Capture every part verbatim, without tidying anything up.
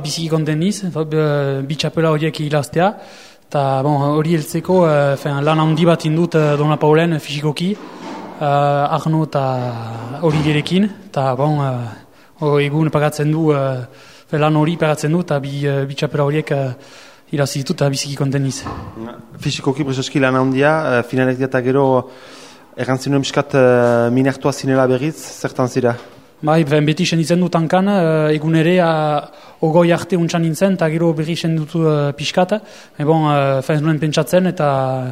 biziki konten niz, bi txapela horiek hilaztea, eta bon, hori heltzeko uh, lan handi bat indut uh, Dona Paulen fizikoki, uh, Arno eta hori gerekin, eta bon, uh, egun pagatzen du, uh, lan hori pagatzen du, eta bi, uh, bi txapela horiek uh, hilazitut eta biziki konten niz. Fizikoki prezeski lan handia, uh, finalek eta gero errantzinu emiskat uh, minertua zinela berriz, zertan zira? Bai, beti senditzen du tankan, uh, egun ere uh, ogoi arte untsan nintzen, eta gero berri sendutu uh, pixkat. E bon, uh, fen nuen pentsatzen, eta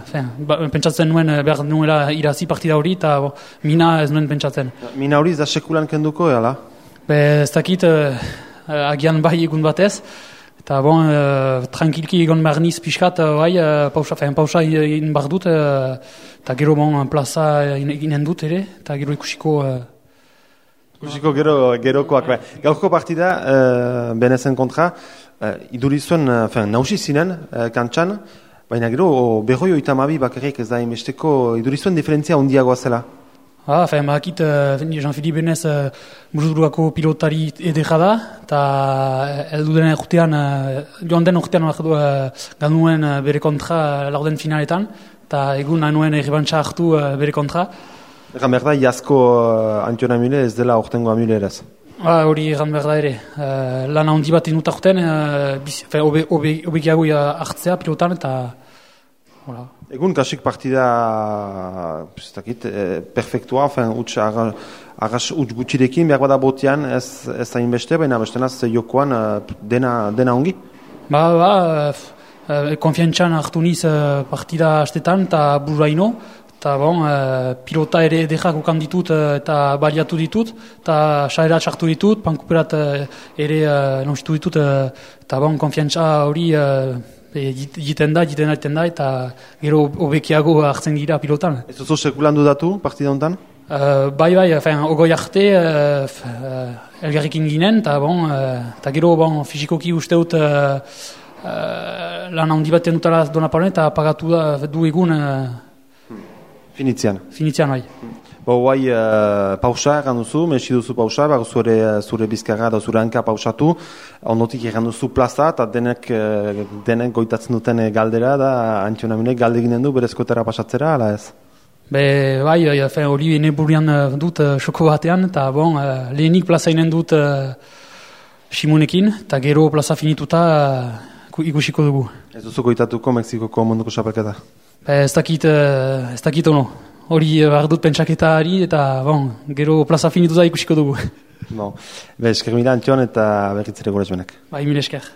fen, ba, pentsatzen nuen behar nuela irazi partida hori, eta bo, mina ez nuen pentsatzen. Mina hori, da sekulan kenduko, eala? Be, ez dakit, uh, agian bai egun batez, eta bon, uh, tranquilki egon behar niz pixkat, uh, bai, uh, pausa, fen, pausa in behar dut, eta uh, gero bon, plaza inen dut ere, eta gero ikusiko... Uh, Ikusiko gero, gerokoak. Gaurko partida, uh, benezen kontra, uh, idurizuen, uh, nausi zinen, uh, kantxan, baina gero, berroi oita mabi bakarrik ez da imesteko, idurizuen diferentzia ondiagoa zela. Ah, fein, bakit, uh, Jean-Philippe Benez uh, buruduako pilotari edera da, eta heldu den urtean, uh, joan den urtean uh, ganuen uh, bere kontra uh, laurden finaletan, eta egun anuen errebantxa hartu uh, bere kontra. Egan behar da, jasko uh, Antiona Mule ez dela ortengoa Mule eraz. Ah, hori egan behar da ere. Uh, lan handi bat inut aurten, uh, obegiago hartzea pilotan, eta... Hola. Egun kasik partida dakit, eh, perfektua, utx arras utx gutxirekin, behar bada botean ez, ez da inbeste, baina bestenaz jokoan uh, dena, dena ongi? Ba, ba, uh, konfiantzan hartu niz uh, partida astetan, eta burraino, eta bon, uh, pilota ere edekak okan ditut uh, eta baliatu ditut, eta saera txartu ditut, pankuperat uh, ere uh, lonsitu ditut, uh, eta bon, konfiantza hori uh, jiten da, jiten da, da, eta gero obekiago hartzen gira pilotan. Ez oso sekulan dudatu partida honetan? Uh, bai, bai, fin, ogoi arte uh, uh, elgarrekin ginen, eta bon, uh, gero bon, fizikoki uste dut uh, uh, lan handi bat dutala Dona Paulen, eta pagatu da, du egun... Uh, Finitzian. Finitzian, bai. Bo, guai, uh, pausa egan duzu, mesi duzu pausa, bago zure, zure bizkarra da zure hanka pausatu, ondotik egan duzu plaza, eta denek, uh, denek goitatzen duten galdera, da Antiona Mule galde ginen du, berezkoetara pasatzera, ala ez? Be, bai, hori ene burian dut uh, xoko batean, eta bon, uh, lehenik plaza inen dut uh, Simonekin, eta gero plaza finituta uh, ikusiko dugu. Ez duzu goitatuko Mexikoko munduko xapelketa? Ez dakit, ez dakit ono. Hori behar dut pentsaketari eta bon, gero plaza finituta ikusiko dugu. Bon. Be, esker mila Antion eta berritzere gure zuenak. Bai, mil esker.